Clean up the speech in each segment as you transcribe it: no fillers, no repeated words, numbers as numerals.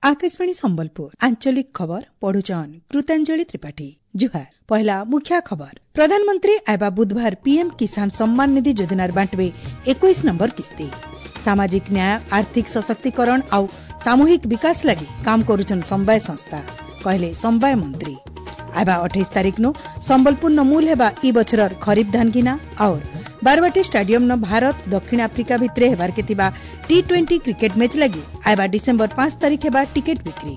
आकाशवाणी संबलपुर आंचलिक खबर पढुचन कृतांजलि त्रिपाठी। जुहार। पहला मुख्य खबर। प्रधानमंत्री आबा बुधवार पीएम किसान सम्मान निधि योजनार बांटवे 21 नंबर किस्ती। सामाजिक न्याय, आर्थिक सशक्तिकरण आउ सामूहिक विकास लागि काम करुछन समवाय संस्था, कहले समवाय मंत्री। आबा 28 तारीख नो संबलपुर न मूल हेबा ई बछरर खरीफ धान घिना और बारवाटी स्टेडियम न भारत दक्षिण आफ्रिका भितरे हेबार के थिबा टी20 क्रिकेट मैच लागि आबा डिसेंबर 5 तारीख हेबा टिकट बिक्री।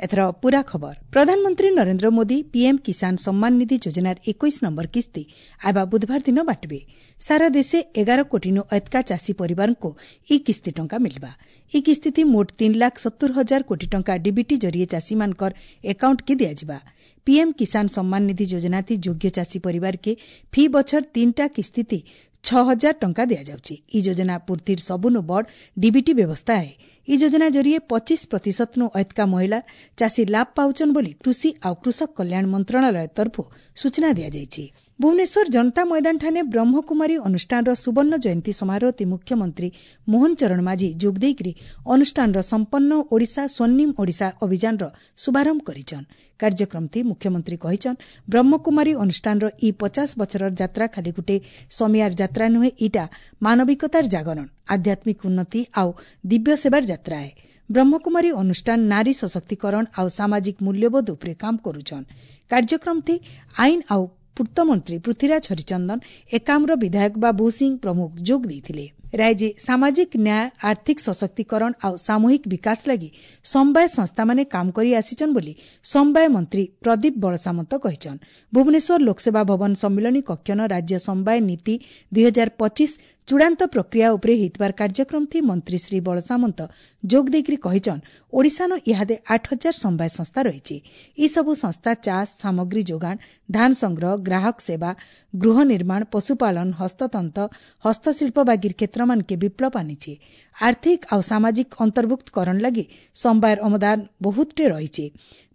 एथर पूरा खबर। प्रधानमंत्री नरेंद्र मोदी पीएम किसान सम्मान निधि योजनार 21 नंबर किस्ती आबा बुधवार दिन बांटबे। सारा देशे 11 कोटी नु एतका चाषी परिवार को ई किस्ती टंका मिलबा। ई किस्ती थी मोट 3,70,000 कोटी टंका डीबीटी जरिए चाषी मानकर अकाउंट के दिया जिबा। पीएम किसान सम्मान निधि योजना थी योग्य चाषी परिवार के फी बछर 3टा किस्ती थी 6,000 टंका दिया जाଉଛି। ई योजना पूर्तिर सबुनु बड़ डीबीटी व्यवस्था है। ई योजना जरिए 25% नु एतका महिला चाषी लाभ पाउचन बोली कृषि आउ कृषक कल्याण मंत्रालय तरफु सूचना दिया जाइଛି। भुवनेश्वर जनता मैदान ठाने ब्रह्मकुमारी अनुष्ठानर सुवर्ण जयंती समारोह मुख्यमंत्री मोहन चरण माझी जोग देइकरी अनुष्ठानर संपन्न ओडिशा स्वर्णिम ओडिशा अभियानर शुभारंभ करिछन। कार्यक्रम थी मुख्यमंत्री कहिछन ब्रह्मकुमारी अनुष्ठानर ई 50 बछरर यात्रा खाली गुटे समियार यात्रा नुहे, इटा मानविकतार जागरण, आध्यात्मिक उन्नति आउ दिव्य सेवार यात्रा है। ब्रह्मकुमारी अनुष्ठान नारी सशक्तिकरण आउ सामाजिक मूल्यबोध उपरे काम करुछन। कार्यक्रम थी आईन आउ पूर्त मंत्री पृथ्वीराज हरिचंदन, एकाम्र विधायक बाबू सिंह प्रमुख जोग देइथिले। राज्य सामाजिक न्याय, आर्थिक सशक्तिकरण आउ सामूहिक विकास लागि समवाय संस्था माने काम करी आसीचन बोली समवाय मंत्री प्रदीप बलसामंत कहिछन। भुवनेश्वर लोकसेवा भवन सम्मिलनी कक्षन राज्य समवाय नीति 2025 चूड़ांत प्रक्रिया उपरे हितबार कार्यक्रम थी मंत्री श्री बलसामंत जोग देइकरी कहिछन ओडिशानो इहादे 8,000 समवाय संस्था रहिछि। ई सबु संस्था चाष, सामग्री जोगाण, धान संग्रह, ग्राहक सेवा, गृह निर्माण, पशुपालन, हस्ततंत, हस्तशिल्प बागीर क्षेत्र मान के विप्लव आनिछि। आर्थिक आउ सामाजिक अंतर्भुक्तकरण लागि समवायर अवदान बहुतटे रहिछि।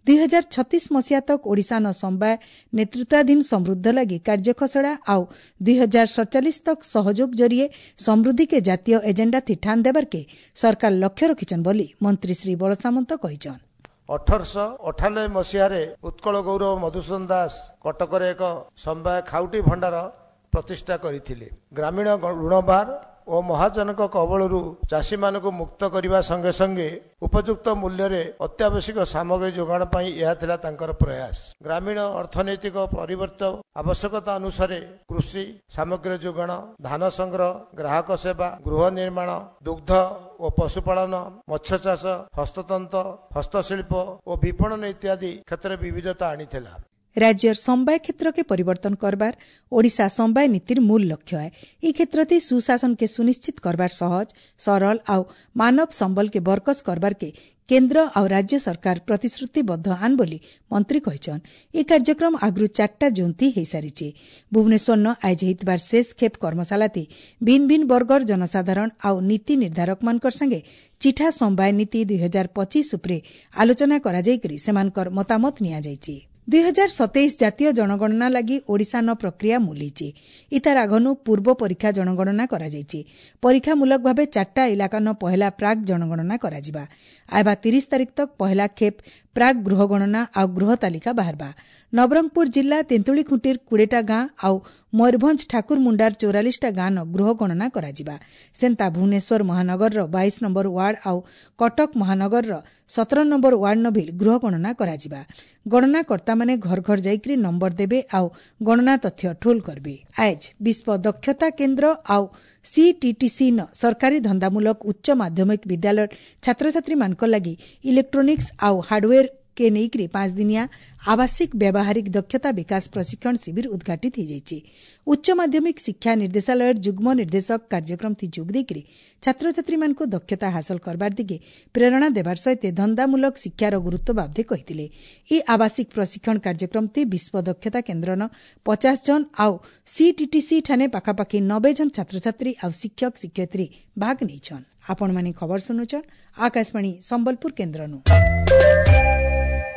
2036 मसीहा तक ओडिशा न समवाय नेतृत्वाधीन समृद्ध लागि कार्यखसड़ा आउ 2047 तक सहयोग जरिए समृद्धि के जातीय एजेंडा थी ठान देବାର के सरकार लक्ष्य रखिछन बोली मंत्री श्री बलसामंत कहिछन। 1898 ମସିହାରେ ଉତ୍କଳ ଗୌରବ ମଧୁସୂଦନ ଦାସ କଟକରେ ଏକ ସମବାୟ ଖାଉଟି ଭଣ୍ଡାର ପ୍ରତିଷ୍ଠା କରିଥିଲେ। ଗ୍ରାମୀଣ ଋଣଭାର ଓ ମହାଜନଙ୍କ କବଳରୁ ଚାଷୀମାନଙ୍କୁ ମୁକ୍ତ କରିବା ସଙ୍ଗେ ସଙ୍ଗେ ଉପଯୁକ୍ତ ମୂଲ୍ୟରେ ଅତ୍ୟାବଶ୍ୟକ ସାମଗ୍ରୀ ଯୋଗାଣ ପାଇଁ ଏହା ଥିଲା ତାଙ୍କର ପ୍ରୟାସ। ଗ୍ରାମୀଣ ଅର୍ଥନୈତିକ ପରିବର୍ତ୍ତନ ଆବଶ୍ୟକତା ଅନୁସାରେ କୃଷି ସାମଗ୍ରୀ ଯୋଗାଣ, ଧାନ ସଂଗ୍ରହ, ଗ୍ରାହକ ସେବା, ଗୃହ ନିର୍ମାଣ, ଦୁଗ୍ଧ ଓ ପଶୁପାଳନ, ମତ୍ସ୍ୟ ଚାଷ, ହସ୍ତତନ୍ତ, ହସ୍ତଶିଳ୍ପ ଓ ବିପଣନ ଇତ୍ୟାଦି କ୍ଷେତ୍ରରେ ବିବିଧତା ଆଣିଥିଲା। राज्यर समवाय क्षेत्र के परिवर्तन करबार ओडिशा समवाय नीतिर मूल लक्ष्य है। ई क्षेत्र ती सुशासन के सुनिश्चित करबार सहज, सरल आउ मानव संबल के बरकस करबार के केंद्र आउ राज्य सरकार प्रतिश्रुतिबद्ध आन बोली मंत्री कहिछन। ई कार्यक्रम आगरू 4टा जोन थी हेई भुवनेश्वर न आइज हेतबार शेष खेप कर्मशाला थी भिन्न भिन्न वर्गर जनसाधारण आउ नीति निर्धारक मानकर संगे चिठा समवाय नीति 2025 उपरे आलोचना करा जाइकरी सेमानकर मतामत निया जाइछि। 2027 जातीय जनगणना लागि ओडिशा न प्रक्रिया मूलिଛି। इतार आगनु पूर्व परीक्षा जनगणना କରାଯାଇଛି। परीक्षामूलक भावे 4टा इलाका न पहला प्राक जनगणना କରାଯିବା। आबा 30 तारीख तक पहला खेप प्राक गृह गणना आउ गृह तालिका बाहरबा। नवरंगपुर जिल्ला तेंतुलीखुंटीर 20टा गाଁ आउ मयूरभंज ठाकुरमुंडार 44टा गाଁ न गृह गणना କରାଯିବା। ସେନ୍ତା ଭୁବନେଶ୍ୱର ମହାନଗରର 22 ନମ୍ବର ୱାର୍ଡ ଆଉ କଟକ ମହାନଗରର 17 ନମ୍ବର ୱାର୍ଡ ନ ଭିଲ୍ ଗୃହ ଗଣନା କରାଯିବା। ଗଣନାକର୍ତ୍ତାମାନେ ଘର ଘର ଯାଇକରି ନମ୍ବର ଦେବେ ଆଉ ଗଣନା ତଥ୍ୟ ଠୁଲ କରିବେ। ଆଏଜ ବିଶ୍ୱ ଦକ୍ଷତା କେନ୍ଦ୍ର ଆଉ ସିଟିଟିସି ନ ସରକାରୀ ଧନ୍ଦାମୂଳକ ଉଚ୍ଚ ମାଧ୍ୟମିକ ବିଦ୍ୟାଳୟ ଛାତ୍ରଛାତ୍ରୀମାନଙ୍କ ଲାଗି ଇଲେକ୍ଟ୍ରୋନିକ୍ସ ଆଉ ହାର୍ଡୱେର के ନେଇକରି 5 ଦିନିଆ ଆବାସିକ ବ୍ୟାବହାରିକ ଦକ୍ଷତା ବିକାଶ ପ୍ରଶିକ୍ଷଣ ଶିବିର ଉଦ୍ଘାଟିତ ହୋଇଯାଇଛି। ଉଚ୍ଚ ମାଧ୍ୟମିକ ଶିକ୍ଷା ନିର୍ଦ୍ଦେଶାଳୟର ଯୁଗ୍ମ ନିର୍ଦ୍ଦେଶକ କାର୍ଯ୍ୟକ୍ରମ ଥି ଯୋଗ ଦେଇକରି ଛାତ୍ରଛାତ୍ରୀମାନଙ୍କୁ ଦକ୍ଷତା ହାସଲ କରବାର ଦିଗେ ପ୍ରେରଣା ଦେବାର ସହିତ ଧନ୍ଦାମୂଳକ ଶିକ୍ଷାର ଗୁରୁତ୍ୱ ବାବଦେ କହିଥିଲେ। ଏହି ଆବାସିକ ପ୍ରଶିକ୍ଷଣ କାର୍ଯ୍ୟକ୍ରମ ଥି ବିଶ୍ୱ ଦକ୍ଷତା କେନ୍ଦ୍ରନ 50 ଜଣ ଆଉ ସିଟିଟିସି ଠାନେ ପାଖାପାଖି 90 ଜଣ ଛାତ୍ରଛାତ୍ରୀ ଆଉ ଶିକ୍ଷକ ଶିକ୍ଷୟିତ୍ରୀ ଭାଗ ନେଇଛନ୍। ଆପଣମାନେ ଖବର ଶୁଣୁଛନ୍ ଆକାଶବାଣୀ ସମ୍ବଲପୁର କେନ୍ଦ୍ରନୁ।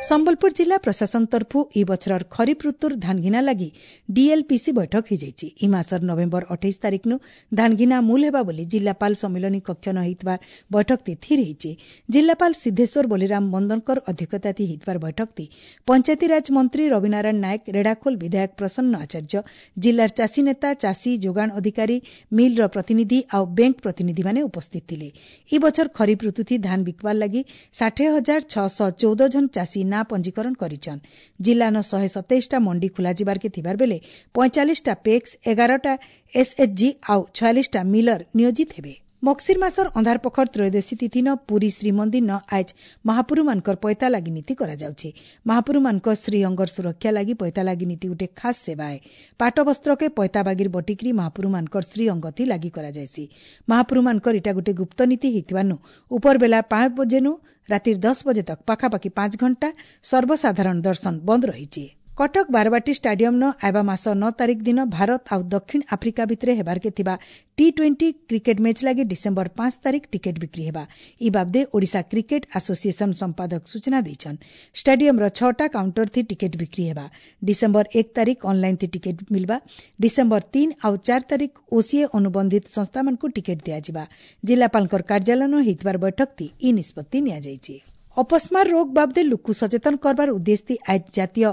ସମ୍ବଲପୁର ଜିଲ୍ଲା ପ୍ରଶାସନ ତରଫୁ ଇ ବଛରର ଖରିଫ ଋତୁର ଧାନଘିନା ଲାଗି ଡିଏଲପିସି ବୈଠକ ହୋଇଯାଇଛି। ଇ ମାସର ନଭେମ୍ବର 28 ତାରିଖନୁ ଧାନଘିନା ମୂଲ ହେବା ବୋଲି ଜିଲ୍ଲାପାଳ ସମ୍ମିଳନୀ କକ୍ଷ ନ ହୋଇଥିବା ବୈଠକଟି ସ୍ଥିର ହୋଇଛି। ଜିଲ୍ଲାପାଳ ସିଦ୍ଧେଶ୍ୱର ବଲିରାମ ବନ୍ଦନକର ଅଧ୍ୟକ୍ଷତାତି ହୋଇଥିବା ବୈଠକଟି ପଞ୍ଚାୟତିରାଜ ମନ୍ତ୍ରୀ ରବିନାରାୟଣ ନାୟକ, ରେଢ଼ାଖୋଲ ବିଧାୟକ ପ୍ରସନ୍ନ ଆଚାର୍ଯ୍ୟ, ଜିଲ୍ଲାର ଚାଷୀ ନେତା, ଚାଷୀ ଯୋଗାଣ ଅଧିକାରୀ, ମିଲ୍ର ପ୍ରତିନିଧି ଆଉ ବ୍ୟାଙ୍କ ପ୍ରତିନିଧିମାନେ ଉପସ୍ଥିତ ଥିଲେ। ଇ ବଛର ଖରିଫ ଋତୁଥି ଧାନ ବିକବାର ଲାଗି 60,614 ଜଣ ଚାଷୀ ନାଁ ପଞ୍ଜୀକରଣ କରିଛନ୍। ଜିଲ୍ଲାନ 127ଟା ମଣ୍ଡି ଖୋଲାଯିବାର୍କେ ଥିବାର ବେଲେ 45ଟା ପେକ୍ସ, 11ଟା ଏସ୍ଏଚ୍ଜି ଆଉ 46ଟା ମିଲର ନିୟୋଜିତ ହେବେ। ମକ୍ସିର ମାସର ଅନ୍ଧାର ପଖର ତ୍ରୟୋଦଶୀ ତିଥିନ ପୁରୀ ଶ୍ରୀମନ୍ଦିର ଆଜ ମହାପୁରୁମାନଙ୍କର ପଇତା ଲାଗି ନୀତି କରାଯାଉଛି। ମହାପୁରୁମାନଙ୍କ ଶ୍ରୀଅଙ୍ଗର ସୁରକ୍ଷା ଲାଗି ପଇତା ଲାଗି ନୀତି ଗୋଟେ ଖାସ୍ ସେବା ଏ। ପାଟ ବସ୍ତ୍ରକେ ପଇତା ବାଗିର ବଟିକିରି ମହାପୁରୁମାନଙ୍କର ଶ୍ରୀଅଙ୍ଗଥି ଲାଗି କରାଯାଏସି। ମହାପୁରୁମାନଙ୍କର ଇଟା ଗୋଟେ ଗୁପ୍ତ ନୀତି ହେଇଥିବାନୁ ଉପର ବେଲା 5 ବଜେନୁ ରାତିର 10 ବଜେ ତକ ପାଖାପାଖି 5 ଘଣ୍ଟା ସର୍ବସାଧାରଣ ଦର୍ଶନ ବନ୍ଦ ରହିଛି। କଟକ ବାରବାଟୀ ଷ୍ଟାଡିୟମ୍ନ ଆଇବା ମାସ 9 ତାରିଖ ଦିନ ଭାରତ ଆଉ ଦକ୍ଷିଣ ଆଫ୍ରିକା ଭିତରେ ହେବାର୍କେ ଥିବା ଟି-20 କ୍ରିକେଟ ମ୍ୟାଚ୍ ଲାଗି ଡିସେମ୍ବର 5 ତାରିଖ ଟିକେଟ୍ ବିକ୍ରି ହେବା। ଇ ବାବଦେ ଓଡ଼ିଶା କ୍ରିକେଟ ଆସୋସିଏସନ ସମ୍ପାଦକ ସୂଚନା ଦେଇଛନ୍। ଷ୍ଟାଡିୟମ୍ର 6ଟା କାଉଣ୍ଟର ଥି ଟିକେଟ୍ ବିକ୍ରି ହେବା। ଡିସେମ୍ବର 1 ତାରିଖ ଅନ୍ଲାଇନ୍ ଥି ଟିକେଟ୍ ମିଲବା। ଡିସେମ୍ବର 3 ଆଉ 4 ତାରିଖ ଓସିଏ ଅନୁବନ୍ଧିତ ସଂସ୍ଥାମାନଙ୍କୁ ଟିକେଟ୍ ଦିଆଯିବା। ଜିଲ୍ଲାପାଳଙ୍କର କାର୍ଯ୍ୟାଳୟନ ହୋଇଥିବାର ବୈଠକଥି ଇ ନିଷ୍ପତ୍ତି ନିଆଯାଇଛି। ଅପସ୍ମାର ରୋଗ ବାବଦେ ଲୁକୁ ସଚେତନ କରବାର ଉଦ୍ଦେଶ୍ୟ ଆଜ ଜାତୀୟ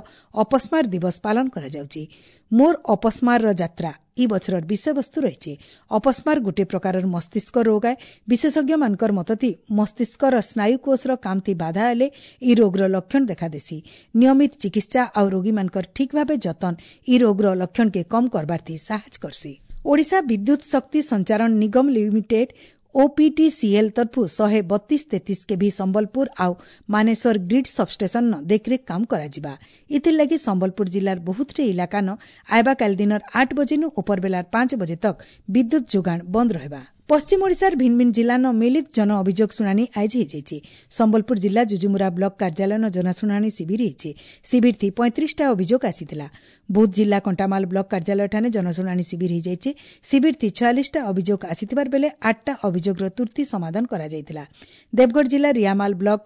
ଅପସ୍ମାର ଦିବସ ପାଳନ କରାଯାଉଛି। ମୋର ଅପସ୍ମାରର ଯାତ୍ରା ଇ ବଛରର ବିଷୟବସ୍ତୁ ରହିଛି। ଅପସ୍ମାର ଗୋଟିଏ ପ୍ରକାରର ମସ୍ତିଷ୍କ ରୋଗ ଆଏ। ବିଶେଷଜ୍ଞମାନଙ୍କର ମତଥି ମସ୍ତିଷ୍କର ସ୍ନାୟୁକୋଷର କାମଥି ବାଧା ହେଲେ ଇ ରୋଗର ଲକ୍ଷଣ ଦେଖାଦେସି। ନିୟମିତ ଚିକିତ୍ସା ଆଉ ରୋଗୀମାନଙ୍କର ଠିକ୍ ଭାବେ ଯତନ ଇ ରୋଗର ଲକ୍ଷଣକେ କମ୍ କରବାର୍ଥି ସାହାଯ୍ୟ କରସି। ଓଡ଼ିଶା ବିଦ୍ୟୁତ ଶକ୍ତି ସଞ୍ଚାରଣ ନିଗମ ଲିମିଟେଡ୍ ଓପିଟିସିଏଲ୍ ତରଫୁ 132-33 କେଭି ସମ୍ବଲପୁର ଆଉ ମାନେଶ୍ୱର ଗ୍ରିଡ୍ ସବଷ୍ଟେସନ ଦେଖରେଖ କାମ କରାଯିବା। ଇଥିର୍ଲାଗି ସମ୍ବଲପୁର ଜିଲ୍ଲାର ବହୁତଟେ ଇଲାକାନ ଆଇବା କାଲି ଦିନର 8 ବଜେନୁ ଉପରବେଲାର 5 ବଜେ ତକ୍ ବିଦ୍ୟୁତ ଯୋଗାଣ ବନ୍ଦ ରହିବା। ପଶ୍ଚିମ ଓଡ଼ିଶାର ଭିନ୍ନ ଭିନ୍ନ ଜିଲ୍ଲାନ ମିଳିତ ଜନ ଅଭିଯୋଗ ଶୁଣାଣି ଆଜି ହୋଇଯାଇଛି। ସମ୍ବଲପୁର ଜିଲ୍ଲା ଯୁଜୁମୁରା ବ୍ଲକ କାର୍ଯ୍ୟାଳୟନ ଜନଶୁଣାଣି ଶିବିର ହୋଇଛି। ଶିବିରଥି 35ଟା ଅଭିଯୋଗ ଆସିଥିଲା। ବୌଦ୍ଧ ଜିଲ୍ଲା କଣ୍ଟାମାଲ ବ୍ଲକ କାର୍ଯ୍ୟାଳୟଠାରେ ଜନଶୁଣାଣି ଶିବିର ହୋଇଯାଇଛି। ଶିବିରଥି 46ଟା ଅଭିଯୋଗ ଆସିଥିବାର ବେଲେ 8ଟା ଅଭିଯୋଗର ତୁର୍ତ୍ତି ସମାଧାନ କରାଯାଇଥିଲା। ଦେବଗଡ଼ ଜିଲ୍ଲା ରିଆମାଲ ବ୍ଲକ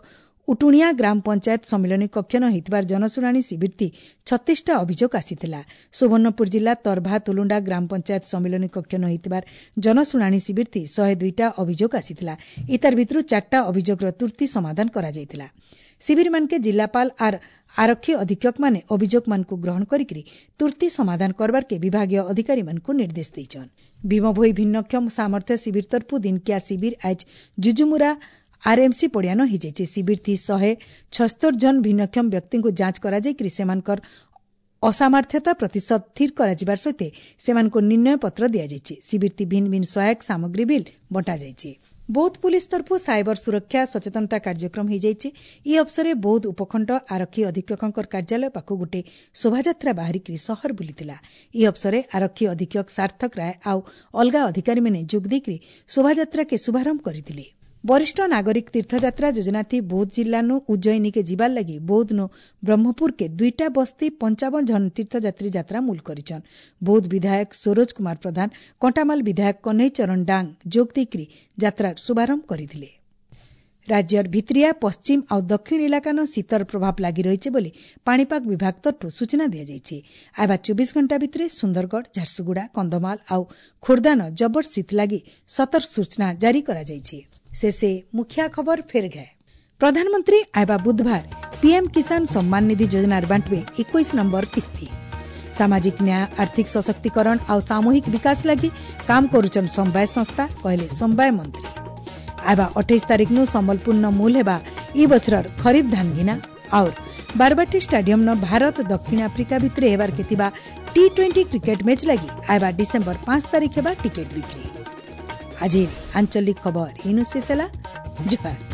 ଉଟୁଣିଆ ଗ୍ରାମ ପଞ୍ଚାୟତ ସମ୍ମିଳନୀ କକ୍ଷନ ହୋଇଥିବାର ଜନଶୁଣାଣି ଶିବିରଥି 36ଟା ଅଭିଯୋଗ ଆସିଥିଲା। ସୁବର୍ଣ୍ଣପୁର ଜିଲ୍ଲା ତରଭା ତୁଲୁଣ୍ଡା ଗ୍ରାମ ପଞ୍ଚାୟତ ସମ୍ମିଳନୀ କକ୍ଷନ ହୋଇଥିବାର ଜନଶୁଣାଣି ଶିବିରଥି 102ଟା ଅଭିଯୋଗ ଆସିଥିଲା। ଇତାର ଭିତରୁ 4ଟା ଅଭିଯୋଗର ତୁର୍ତ୍ତି ସମାଧାନ କରାଯାଇଥିଲା। ଶିବିରମାନକେ ଜିଲ୍ଲାପାଳ ଆର୍ ଆରକ୍ଷୀ ଅଧୀକ୍ଷକମାନେ ଅଭିଯୋଗମାନଙ୍କୁ ଗ୍ରହଣ କରିକି ତୁର୍ତ୍ତି ସମାଧାନ କରବାର୍କେ ବିଭାଗୀୟ ଅଧିକାରୀମାନଙ୍କୁ ନିର୍ଦ୍ଦେଶ ଦେଇଛନ୍। ଭୀମଭୋଇ ଭିନ୍ନକ୍ଷମ ସାମର୍ଥ୍ୟ ଶିବିର ତରଫୁ ଦିନକିଆ ଶିବିର ଆଜ ଜୁଜୁମୁରା ଆର୍ଏମ୍ସି ପଡ଼ିଆନ ହୋଇଯାଇଛି। ଶିବିରଥି 176 ଜଣ ଭିନ୍ନକ୍ଷମ ବ୍ୟକ୍ତିଙ୍କୁ ଯାଞ୍ଚ କରାଯାଇକରି ସେମାନଙ୍କର ଅସାମର୍ଥ୍ୟତା ପ୍ରତିଶତ ସ୍ଥିର କରାଯିବାର ସହିତ ସେମାନଙ୍କୁ ନିର୍ଣ୍ଣୟ ପତ୍ର ଦିଆଯାଇଛି। ଶିବିରଥି ଭିନ୍ନ ଭିନ୍ନ ସହାୟକ ସାମଗ୍ରୀ ବିଲ୍ ବଣ୍ଟାଯାଇଛି। ବୌଦ୍ଧ ପୁଲିସ ତରଫୁ ସାଇବର ସୁରକ୍ଷା ସଚେତନତା କାର୍ଯ୍ୟକ୍ରମ ହୋଇଯାଇଛି। ଇ ଅବସରରେ ବୌଦ୍ଧ ଉପଖଣ୍ଡ ଆରକ୍ଷୀ ଅଧୀକ୍ଷକଙ୍କ କାର୍ଯ୍ୟାଳୟ ପାଖକୁ ଗୋଟିଏ ଶୋଭାଯାତ୍ରା ବାହାରିକରି ସହର ବୁଲିଥିଲା। ଇ ଅବସରରେ ଆରକ୍ଷୀ ଅଧୀକ୍ଷକ ସାର୍ଥକ ରାୟ ଆଉ ଅଲଗା ଅଧିକାରୀମାନେ ଯୋଗ ଦେଇକରି ଶୋଭାଯାତ୍ରାକେ ଶୁଭାରମ୍ଭ କରିଥିଲେ। ବରିଷ୍ଠ ନାଗରିକ ତୀର୍ଥଯାତ୍ରା ଯୋଜନାଥି ବୌଦ୍ଧ ଜିଲ୍ଲାନୁ ଉଜ୍ଜୟିନୀକେ ଯିବାର ଲାଗି ବୌଦ୍ଧନୁ ବ୍ରହ୍ମପୁରକେ 2ଟା ବସ୍ତି 55 ଜଣ ତୀର୍ଥଯାତ୍ରୀ ଯାତ୍ରା ମୂଲ କରିଛନ୍। ବୌଦ୍ଧ ବିଧାୟକ ସରୋଜ କୁମାର ପ୍ରଧାନ, କଣ୍ଟାମାଲ ବିଧାୟକ କହ୍ନେଇ ଚରଣ ଡାଙ୍ଗ ଯୋଗ ଦେଇକରି ଯାତ୍ରାର ଶୁଭାରମ୍ଭ କରିଥିଲେ। ରାଜ୍ୟର ଭିତିରିଆ ପଶ୍ଚିମ ଆଉ ଦକ୍ଷିଣ ଇଲାକାନ ଶୀତର ପ୍ରଭାବ ଲାଗି ରହିଛି ବୋଲି ପାଣିପାଗ ବିଭାଗ ତରଫରୁ ସୂଚନା ଦିଆଯାଇଛି। ଆଇବା 24 ଘଣ୍ଟା ଭିତରେ ସୁନ୍ଦରଗଡ଼, ଝାରସୁଗୁଡ଼ା, କନ୍ଧମାଳ ଆଉ ଖୋର୍ଦ୍ଧାନ ଜବର ଶୀତ ଲାଗି ସତର୍କ ସୂଚନା ଜାରି କରାଯାଇଛି। ଶେଷେ ମୁଖିଆ ଖବର ଫେର ଘେ। ପ୍ରଧାନମନ୍ତ୍ରୀ ଆଇବା ବୁଧବାର ପିଏମ୍ କିଷାନ ସମ୍ମାନ ନିଧି ଯୋଜନାର ବାଣ୍ଟିବେ 21 ନମ୍ବର କିସ୍ତି। ସାମାଜିକ ନ୍ୟାୟ, ଆର୍ଥିକ ସଶକ୍ତିକରଣ ଆଉ ସାମୂହିକ ବିକାଶ ଲାଗି କାମ କରୁଛନ୍ ସମବାୟ ସଂସ୍ଥା, କହିଲେ ସମବାୟ ମନ୍ତ୍ରୀ। ଆଇବା 28 ତାରିଖନୁ ସମ୍ବଲପୁରନ ମୂଲ ହେବା ଇ ବଛରର ଖରିଫ ଧାନ ଘିନା। ଆଉ ବାରବାଟୀ ଷ୍ଟାଡିୟମ୍ନ ଭାରତ ଦକ୍ଷିଣ ଆଫ୍ରିକା ଭିତରେ ହେବାର୍କେ ଥିବା ଟି-20 କ୍ରିକେଟ ମ୍ୟାଚ୍ ଲାଗି ଆଇବା ଡିସେମ୍ବର 5 ତାରିଖ ହେବା ଟିକେଟ୍ ବିକ୍ରି। ଆଜି ଆଞ୍ଚଳିକ ଖବର ଇନୁ ଶେଷ ହେଲା। ଜୁହାର।